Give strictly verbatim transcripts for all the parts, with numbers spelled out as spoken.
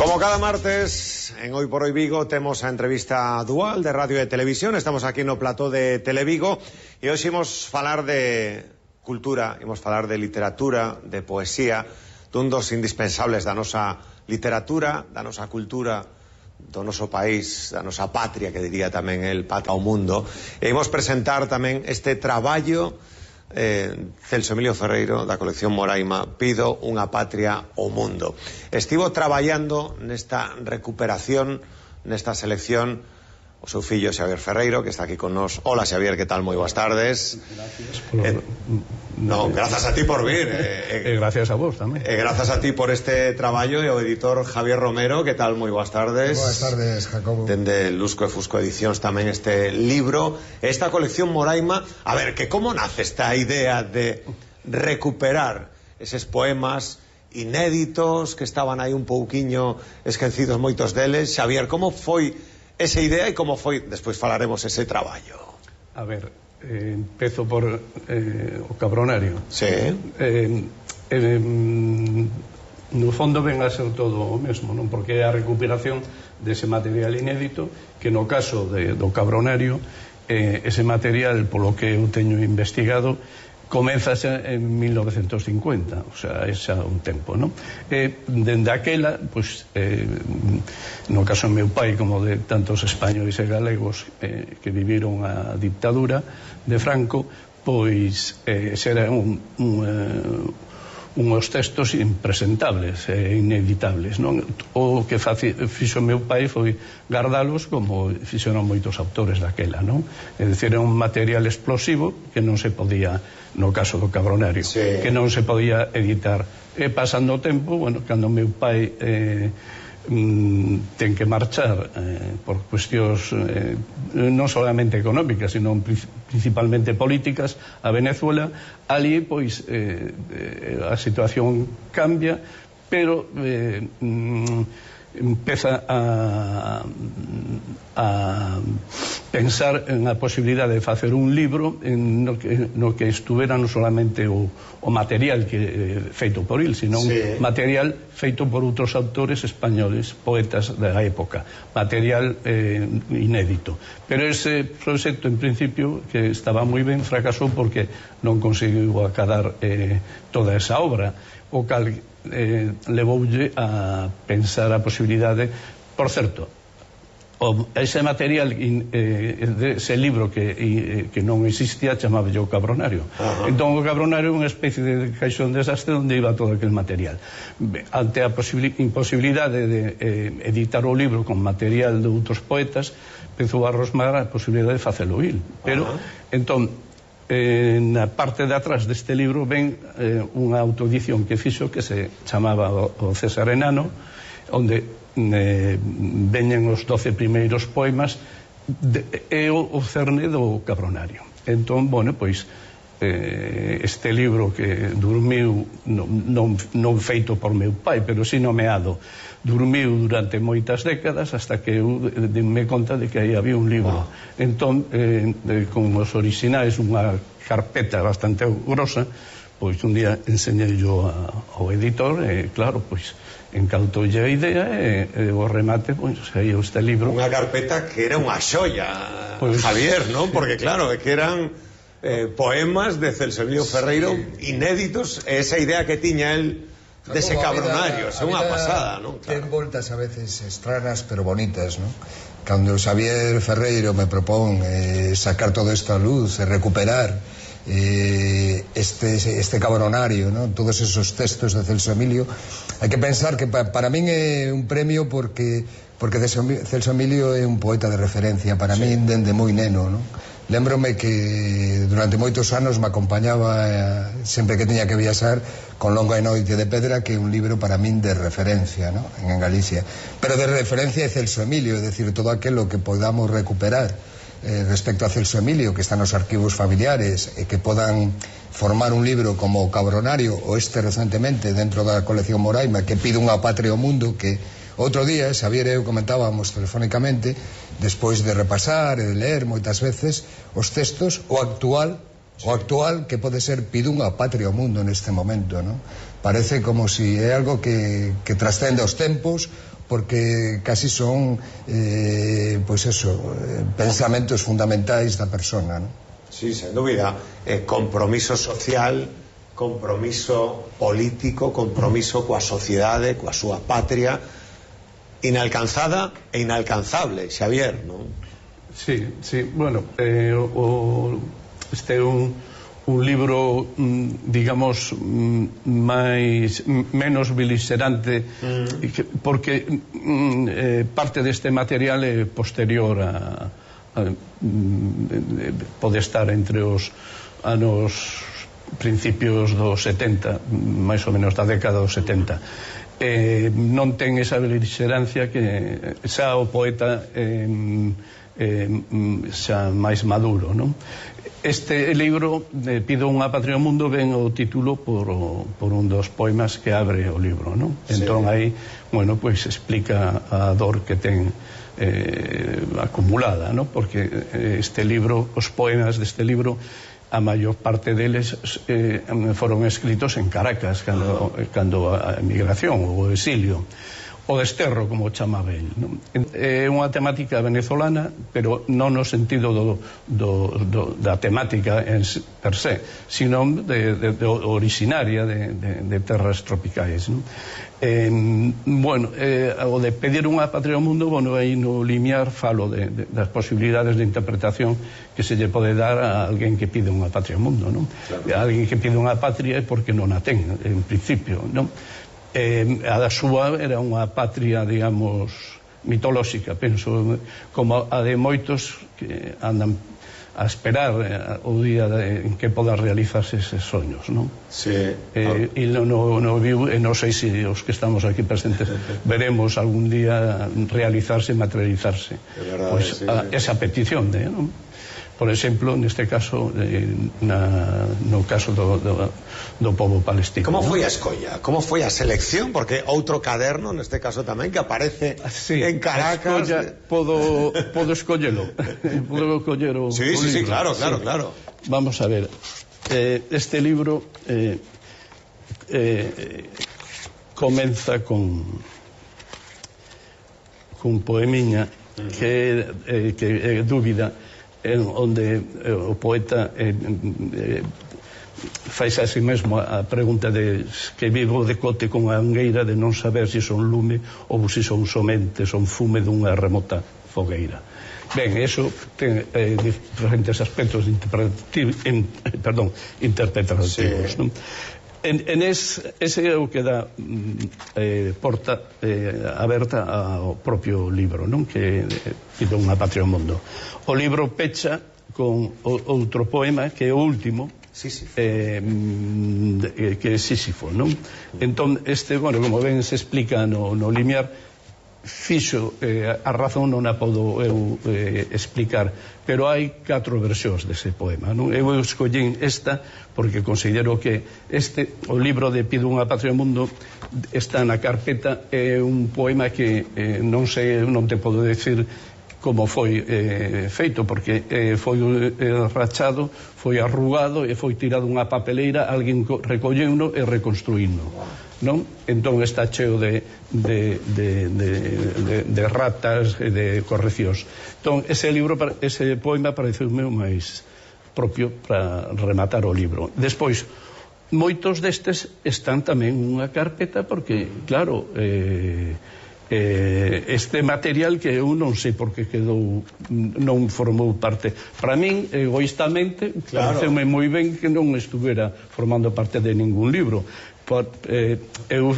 Como cada martes, en Hoy por Hoy Vigo, temos a entrevista dual de radio e televisión. Estamos aquí no plató de Televigo e hoxe imos falar de cultura, imos falar de literatura, de poesía, dun dos indispensables da nosa literatura, da nosa cultura, do noso país, da nosa patria, que diría tamén el pata ao mundo. E imos presentar tamén este traballo Eh, Celso Emilio Ferreiro da colección Moraima, Pido unha patria ao mundo. Estivo traballando nesta recuperación, nesta selección, o seu fillo Xavier Ferreiro, que está aquí con nos. Hola Xavier, que tal? Moi boas tardes. Gracias por... eh, No, grazas a ti por vir eh, eh, E grazas a vos tamén. E eh, grazas a ti por este traballo. E o editor Javier Romero, que tal? Moi boas tardes. Boas tardes, Jacobo. Dende Lusco e Fusco Edicións tamén este libro, esta colección Moraima. A ver, que como nace esta idea de recuperar eses poemas inéditos que estaban aí un pouquiño esquecidos moitos deles? Xavier, como foi esa idea e como foi, despois falaremos, ese traballo? A ver, eh, empezo por eh, o Cabronario. Sí. eh, eh, No fondo ven a ser todo o mesmo, non? Porque é a recuperación dese material inédito, que no caso de, do Cabronario, eh, ese material, polo que eu teño investigado, comeza en mil novecentos cincuenta, o sea, é xa un tempo, non? E dende aquela, pois, eh, no caso do meu pai, como de tantos españois e galegos eh, que viviron a dictadura de Franco, pois eh, xera un, un, eh, unhos textos impresentables e inevitables, non? O que faci, fixo meu pai foi gardalos como fixeron moitos autores daquela, non? É dicir, é un material explosivo que non se podía, no caso do Cabronario, sí, que non se podía editar. E pasando o tempo, bueno, cando meu pai eh, mm, ten que marchar eh, por cuestións eh, non solamente económicas, sino principalmente políticas a Venezuela, ali pois eh, eh, a situación cambia, pero eh, mm, empeza a, a pensar en a posibilidade de facer un libro en no que, no que estuvera non solamente o, o material que eh, feito por il, sino sí, un material feito por outros autores españoles, poetas da época, material eh, inédito. Pero ese proxecto, en principio, que estaba moi ben, fracasou porque non conseguiu acadar eh, toda esa obra, o cal eh, levoulle a pensar a posibilidade. Por certo, o, ese material in, eh, ese libro que, eh, que non existía chamaba o Cabronario. Uh-huh. Entón o Cabronario é unha especie de caixón desastre onde iba todo aquel material. Ante a imposibilidade de eh, editar o libro con material de outros poetas, empezou a rosmar a posibilidade de facelo il. Pero, uh-huh, entón, Eh, na parte de atrás deste libro ven eh, unha autoedición que fixo que se chamaba o, o César Enano, onde eh, veñen os doce primeiros poemas de, e o, o cerne do Cabronario. Entón, bueno, pois eh, este libro que durmiu non, non, non feito por meu pai, pero si nomeado, durmiu durante moitas décadas hasta que eu me conta de que aí había un libro. Wow. Entón, eh, con os orixinais, unha carpeta bastante grosa, pois un día enseñei yo ao editor e, claro, pois encantoulle a idea e, e o remate, pois, aí este libro. Unha carpeta que era unha xoia, pois, Javier, non? Porque, claro, que eran eh, poemas de Celso Emilio Ferreiro, sí, inéditos, e esa idea que tiña el dese Cabronario, é unha pasada, non? Claro. Ten voltas a veces estranas pero bonitas, non? Cando Xavier Ferreiro me propón eh, sacar todo isto a luz e recuperar eh, este, este Cabronario, non? Todos esos textos de Celso Emilio, hai que pensar que pa, para min é un premio porque porque Celso Emilio é un poeta de referencia para sí, min dende moi neno, non? Lémbrome que durante moitos anos me acompañaba eh, sempre que tiña que viaxar con Longa e Noite de Pedra, que é un libro para min de referencia, ¿no? En Galicia, pero de referencia é Celso Emilio, é dicir, todo aquilo que podamos recuperar eh, respecto a Celso Emilio, que está nos arquivos familiares e que podan formar un libro como o Cabronario ou este recentemente dentro da colección Moraima, que pide unha patria ao mundo, que outro día Xavier e eu comentábamos telefónicamente, despois de repasar e de ler moitas veces os textos, o actual o actual que pode ser pido unha patria ao mundo neste momento, non? Parece como si é algo que, que trascende os tempos, porque casi son eh, pues eso, eh, pensamentos fundamentais da persona, ¿no? Sí, sen dúbida. Eh, compromiso social, compromiso político, compromiso coa sociedade, coa súa patria, inalcanzada e inalcanzable, Xavier, non? Sí, sí, bueno, eh, o, este é un, un libro, digamos, máis menos beligerante, mm. porque eh, parte deste material é posterior a, a, a pode estar entre os anos principios dos setenta, máis ou menos da década dos setenta. Eh, non ten esa beligerancia que xa o poeta eh, eh, xa máis maduro, non? Este libro, eh, Pido unha patria ao mundo, ven o título por, por un dos poemas que abre o libro, non? Sí. Entón aí, bueno, pois pues, explica a dor que ten eh, acumulada, non? Porque este libro, os poemas deste libro, a maior parte deles eh, foron escritos en Caracas cando, cando a emigración ou o exilio, o desterro, como o chamaba el, non? É unha temática venezolana, pero non no sentido do, do, do, da temática en per se, sino de, de, de originaria de, de, de terras tropicais, non? Eh, bueno, eh, o de pedir unha patria ao mundo, bueno, aí no limiar falo de, de, das posibilidades de interpretación que se lle pode dar a alguén que pide unha patria ao mundo, non? Claro. A alguén que pide unha patria é porque non a ten, en principio, non? Eh, a da súa era unha patria, digamos, mitolóxica, penso, como a de moitos que andan a esperar eh, o día de, en que poda realizarse eses soños, non? Sí. Eh, e no, no, no viu, e non sei se os que estamos aquí presentes veremos algún día realizarse, materializarse verdade, pues, sí, a, sí. esa petición de, non? Por exemplo, neste caso, eh, na, no caso do, do, do povo palestino. Como foi ¿no? a escolla? Como foi a selección? Porque outro caderno, neste caso tamén, que aparece sí, en Caracas. Escolla, podo, podo escollelo. Podo coller o, sí, o sí, libro. Sí, claro, claro, sí. claro. Vamos a ver. Eh, este libro eh, eh, comeza con con poemiña que, eh, que é dúbida, en onde eh, o poeta eh, eh, fais a si mesmo a pregunta de que vivo de cote con a angueira de non saber se son lume ou se son somente son fume dunha remota fogueira. Ben, eso ten eh, diferentes aspectos interpretativos, in, perdón, interpretativos, sí. Non? En, en es, ese é o que dá eh, porta eh, aberta ao propio libro, non? Que Pido unha patria ao mundo. O libro pecha con o, outro poema que é o último, Sísifo. Eh, que é Sísifo, non? Entón, este, bueno, como ben se explica no, no limiar, fixo eh, a razón non a podo eu eh, explicar, pero hai catro versións dese poema, non? Eu escollín esta porque considero que este, o libro de Pido unha patria ao mundo, está na carpeta, é un poema que eh, non sei, non te podo decir como foi eh, feito, porque eh, foi eh, rachado, foi arrugado e foi tirado unha papeleira, alguén recolleuno e reconstruíno, non? Entón está cheo de, de, de, de, de, de ratas e de correccións. Entón ese libro, ese poema pareceume o máis propio para rematar o libro. Despois, moitos destes están tamén nunha carpeta porque, claro, eh, eh, este material que eu non sei por que quedou, non formou parte. Para min, egoístamente, claro, pareceume moi ben que non estuvera formando parte de ningún libro. Por, eh, eu,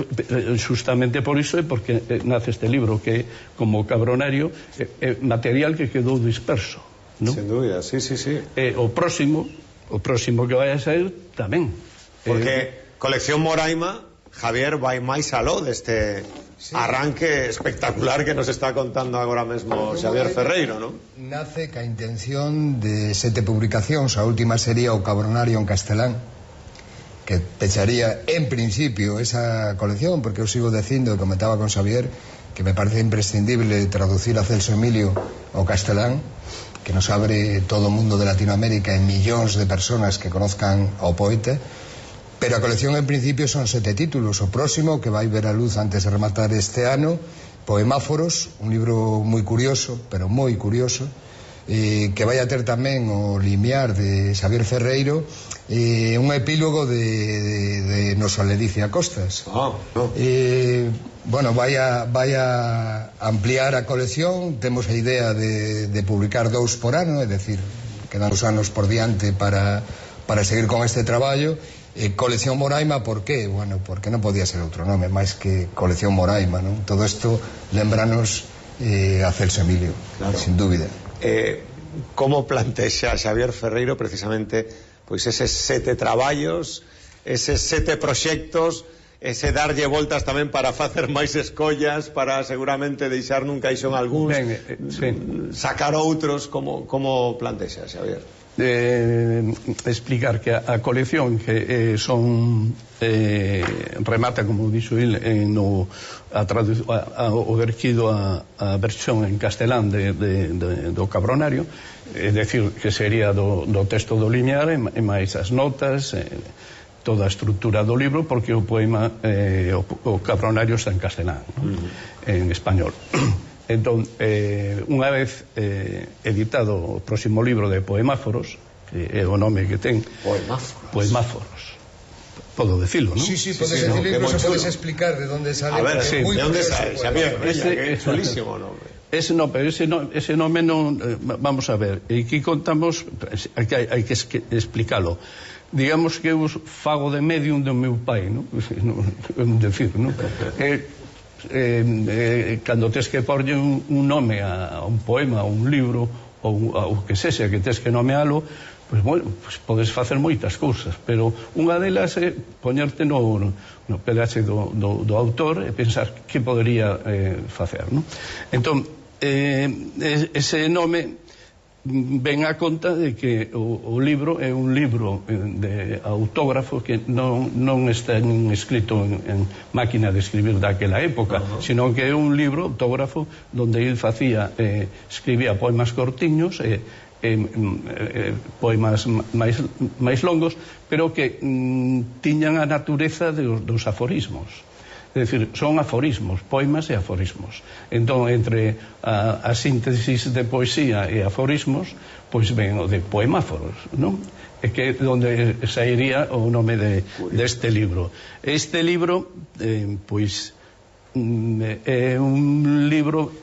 justamente por iso é porque eh, nace este libro, que como Cabronario é eh, eh, material que quedou disperso, ¿no? Sin dúbida, sí, sí, sí. Eh, o próximo, o próximo que vai a sair tamén. Porque eh, Colección Moraima, Javier, vai máis aló deste sí. arranque espectacular que nos está contando agora mesmo Xavier Ferreiro, non? Nace ca intención de sete publicacións, a última sería o Cabronario en castelán, que pecharía en principio esa colección, porque eu sigo dicindo, e comentaba con Xavier, que me parece imprescindible traducir a Celso Emilio ao castelán, que nos abre todo o mundo de Latinoamérica en millóns de personas que conozcan ao poeta. Pero a colección en principio son sete títulos. O próximo, que vai ver a luz antes de rematar este ano, Poemáforos, un libro moi curioso, pero moi curioso, eh, que vai a ter tamén o limiar de Xavier Ferreiro, eh, un epílogo de, de, de Nosa Ledicia Costas. Oh, no. eh, bueno, vai a, vai a ampliar a colección. Temos a idea de, de publicar dous por ano, é dicir, quedan os anos por diante para, para seguir con este traballo. Eh, colección Moraima, por qué? Bueno, porque non podía ser outro nome máis que Colección Moraima, non? Todo isto lembranos eh, a Celso Emilio, claro, sin dúbida. Eh, como plantexa Xavier Ferreiro precisamente pois eses sete traballos, eses sete proxectos, ese darlle voltas tamén para facer máis escollas, para seguramente deixar nun caixón algúns, ben, eh, sí. sacar outros, como, como plantexa Xavier? Eh, explicar que a, a colección que eh, son eh, remata, como dixo il, en no, a tradu, a, a, o verquido a, a versión en castelán de, de, de, do Cabronario, é dicir, que sería do, do texto do linear e, e máis as notas, eh, toda a estrutura do libro, porque o poema eh, o, o Cabronario está en castelán, ¿no? Uh-huh. En español. Entón, eh, unha vez eh, editado o próximo libro de Poemáforos, que é o nome que ten, Poemáforos, Poemáforos. Podo decirlo, ¿no? Sí, sí, podes sí, sí, decirlo, no, incluso podes explicar de onde sale. A ver, sí, de onde sale, Xavier, ese, é chulísimo nome. Ese no, pero ese, no, ese nome non, eh, vamos a ver, e aquí contamos, hai que, hai que explicarlo. Digamos que eu fago de medium do meu pai, ¿no? Un decir, ¿no? Eh, Eh, eh, cando tes que porlle un, un nome a, a un poema, a un libro ou o que sexa que tes que nomealo, pois, bueno, pois podes facer moitas cousas, pero unha delas é poñerte no, no pedaxe do, do, do autor e pensar que podería eh, facer, non? Entón, eh, ese nome ven a conta de que o, o libro é un libro de autógrafo que non, non está escrito en, en máquina de escribir daquela época, uh-huh. sino que é un libro autógrafo donde ele facía, eh, escribía poemas cortiños e eh, eh, eh, poemas máis, máis longos, pero que mm, tiñan a natureza dos, dos aforismos. É dicir, son aforismos, poemas e aforismos. Entón, entre a, a síntesis de poesía e aforismos, pois ven o de Poemáforos, non? É que onde sairía o nome de, deste libro. Este libro, eh, pois, é un libro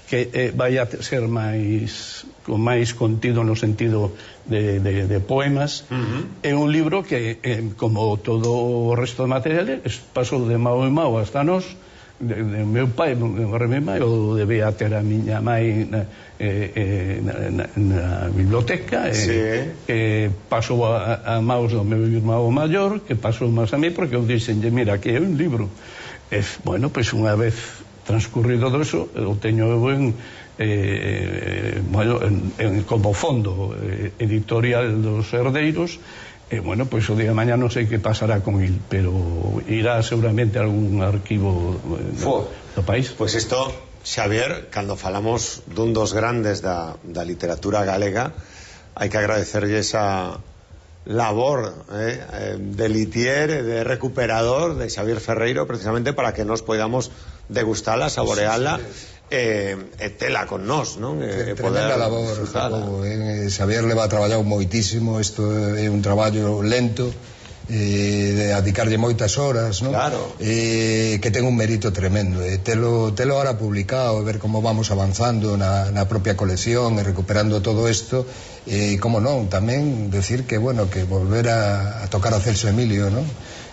que eh, vai a ser máis con máis contido no sentido de, de, de poemas. Uh-huh. É un libro que, eh, como todo o resto de materiales, pasou de mao en mao hasta nós, de, de meu pai, de meu pai, ou debía ter a miña mai na, eh, eh, na, na, na biblioteca, sí. eh, que pasou a, a maus do meu irmão maior, que pasou máis a mí, porque eu dixenlle, mira, que é un libro. E, bueno, pois unha vez transcurrido doso, eu teño en, eh, bueno, en, en, como fondo eh, editorial dos herdeiros, e, eh, bueno, pois o día de mañá non sei que pasará con il, pero irá seguramente a algún arquivo eh, do, do país. Pois isto, Xavier, cando falamos dun dos grandes da, da literatura galega, hai que agradecerlle esa labor eh, de litier, de recuperador de Xavier Ferreiro, precisamente para que nos podamos degustala, saboreala, sí, sí. E, e tela con nós, non? E, tremenda labor, Jacobo, eh? Xavier leva traballado moitísimo, isto é un traballo lento, eh, de dedicarlle moitas horas, non? Claro. Eh, que ten un mérito tremendo, eh? telo, telo ahora publicado, ver como vamos avanzando na, na propia colección e recuperando todo isto, e eh, como non, tamén decir que, bueno, que volver a, a tocar a Celso Emilio, non?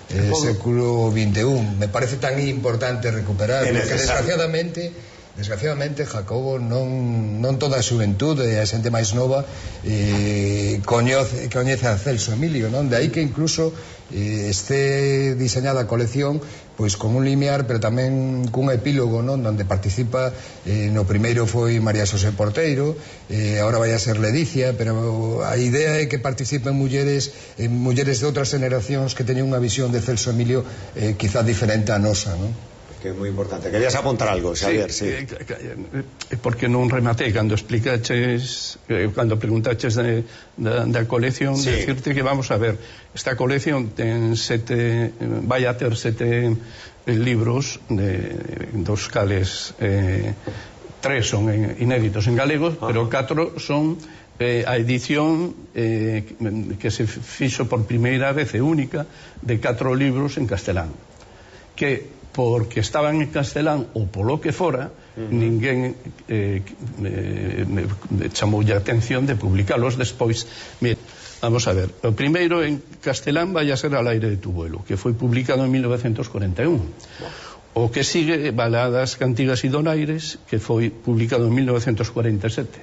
Eh, século vinte e un, me parece tan importante recuperar, porque desgraciadamente desgraciadamente Jacobo non, non toda a xuventude e a xente máis nova eh, coñece, coñece a Celso Emilio, non? De aí que incluso eh, este diseñada a colección pois con un limiar, pero tamén cun epílogo, non? Donde participa, eh, no primeiro foi María Xosé Porteiro, eh, agora vai a ser Ledicia, pero a idea é que participen mulleres eh, mulleres de outras generacións que teñen unha visión de Celso Emilio eh, quizá diferente a nosa, non? Que que é moi importante. Querías apuntar algo, Xavier, sí. sí. Eh, porque non rematei cando explicaches, eh, cando preguntaches de, da, da colección, sí. Decirte que vamos a ver, esta colección ten sete, vai a ter sete eh, libros, de, dos cales eh, tres son en, inéditos en galego, ah. pero catro son eh, a edición eh, que se fixo por primeira vez e única de catro libros en castelán, que porque estaban en castelán ou polo que fora, uh-huh. ninguén eh, me, me, me chamou a atención de publicalos despois. Mira, vamos a ver, o primeiro en castelán vai a ser Al aire de tu vuelo, que foi publicado en mil novecientos cuarenta e un. O que sigue, Baladas, Cantigas e Donaires, que foi publicado en mil novecientos cuarenta e sete.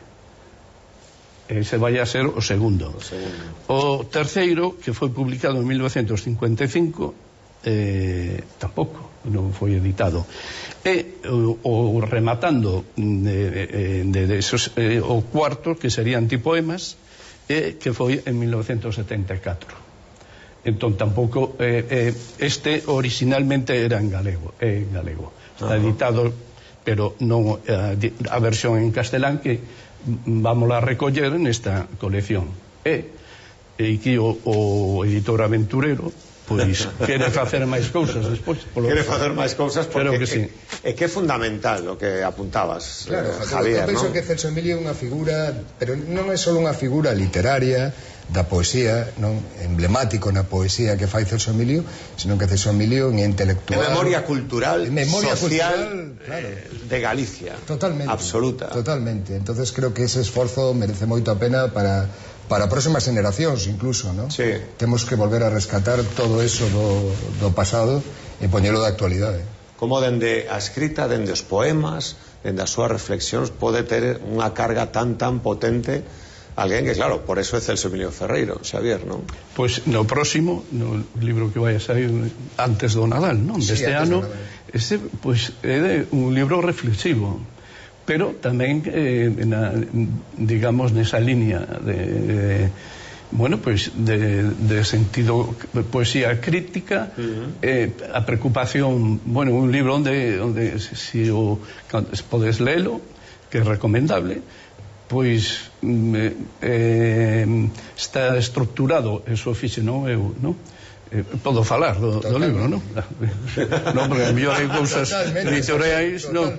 Ese vai a ser o segundo. O segundo. O terceiro, que foi publicado en mil novecientos cincuenta e cinco, eh, tampouco non foi editado. E o, o rematando de, de, de esos, eh, o cuarto, que serían Antipoemas, eh, que foi en mil novecientos setenta e catro. Entón tampouco eh, eh, este originalmente era en galego, é en galego. Está editado, pero non a, a versión en castelán que vamos a recoller nesta colección. E, e aquí o, o editor aventurero pois quere facer máis cousas despois. Quere facer máis cousas porque que sí. é, é que é fundamental o que apuntabas, claro, eh, Javier, eu penso ¿no? que Celso Emilio é unha figura, pero non é só unha figura literaria da poesía, non emblemático na poesía que fai Celso Emilio, sino que Celso Emilio é intelectual, de memoria cultural, memoria social, cultural, claro, eh, de Galicia. Totalmente. Absoluta. Totalmente. Entonces creo que ese esforzo merece moito a pena para para próximas generacións incluso, ¿no? Sí. Temos que volver a rescatar todo eso do, do pasado e poñelo da actualidade. Como dende a escrita, dende os poemas, dende as súas reflexións pode ter unha carga tan tan potente alguén que, claro, por eso é Celso Emilio Ferreiro, Xavier, non? Pois no próximo, no libro que vai a sair antes do Nadal, non? Deste sí, ano, ese, pois, é de un libro reflexivo, pero tamén eh, na, digamos nesa línea de, de bueno, pois de, de sentido poesía crítica, uh-huh. eh, a preocupación, bueno, un libro onde, onde si o podes lelo, que é recomendable, pois eh, está estructurado, eso fixe non eu, non? Eh, podo falar do, do libro, non? Non, porque a mellor hai cousas editoriais, non?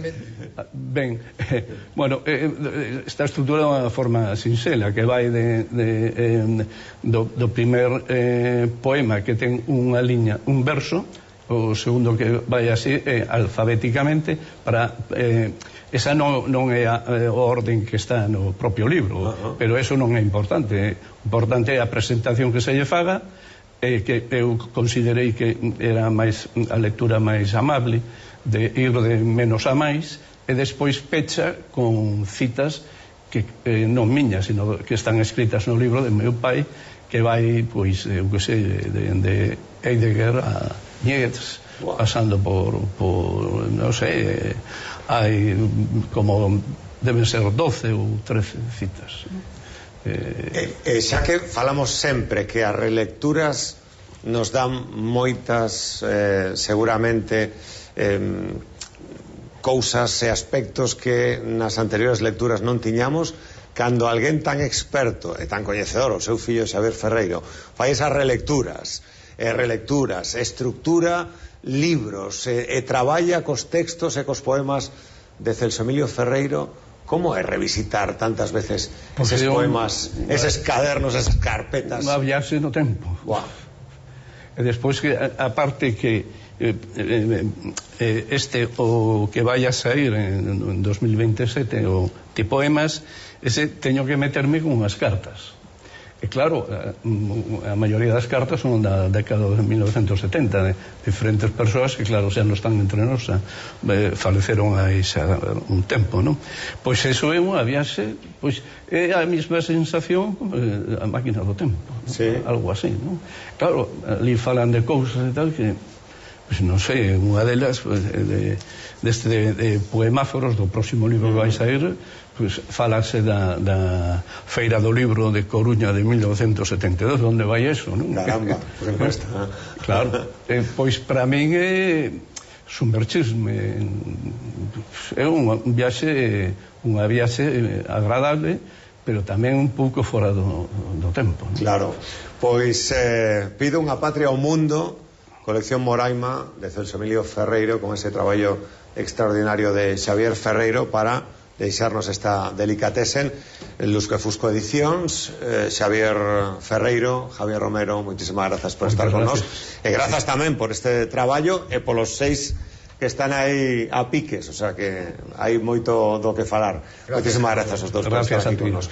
Ben, eh, bueno, eh, está estruturada de unha forma sinxela, que vai de, de, eh, do, do primer eh, poema que ten unha liña, un verso, o segundo que vai así eh, alfabéticamente para eh, esa non, non é a, eh, o orden que está no propio libro, uh-huh. pero eso non é importante. Importante é a presentación que se lle faga, eh, que eu considerei que era máis a lectura máis amable, de ir de menos a máis, e despois pecha con citas que eh, non miñas, sino que están escritas no libro de meu pai, que vai, pois, eu que sei, de, de Heidegger a Nietzsche, wow. pasando por, por non sei, eh, hai como deben ser doce ou trece citas. Eh, eh, xa que falamos sempre que as relecturas nos dan moitas, eh, seguramente, eh, cousas e aspectos que nas anteriores lecturas non tiñamos, cando alguén tan experto e tan coñecedor, o seu fillo Xavier Ferreiro, fai esas relecturas, e relecturas, estructura libros, e, e traballa cos textos e cos poemas de Celso Emilio Ferreiro, como é revisitar tantas veces eses poemas, eses cadernos, esas carpetas? Unha viaxe no tempo. Wow. E despois que, aparte que Eh, eh, este o que vai a sair en, en dos mil veintesete o Antipoemas, ese teño que meterme con unhas cartas, e claro, a, a maioría das cartas son da década de mil novecientos setenta, de diferentes persoas que claro, xa non están entre nós, eh, faleceron aí xa un tempo, non? Pois eso é unha viaxe, pois é a mesma sensación como eh, a máquina do tempo, ¿no? Sí. Algo así, non? Claro, ali falan de cousas e tal que pues non sei, unha delas pues, de, deste de, de poemáforos do próximo libro que vai sair, pues, falase da, da Feira do Libro de Coruña de mil novecientos setenta e dos, onde vai eso, non? Caramba, pues está. Claro, eh, pois para min é sumerxirme. É un viaxe, unha viaxe agradable, pero tamén un pouco fora do, do tempo, non? Claro. Pois eh, pido unha patria ao mundo, colección Moraima de Celso Emilio Ferreiro, con ese traballo extraordinario de Xavier Ferreiro para deixarnos esta delicatesen. Lusque Fusco Edicións, eh, Xavier Ferreiro, Javier Romero, moitísimas grazas por estar con nós, e grazas tamén por este traballo e polos seis que están aí a piques, o sea que hai moito do que falar. Moitísimas grazas aos dous por estar aquí con nós.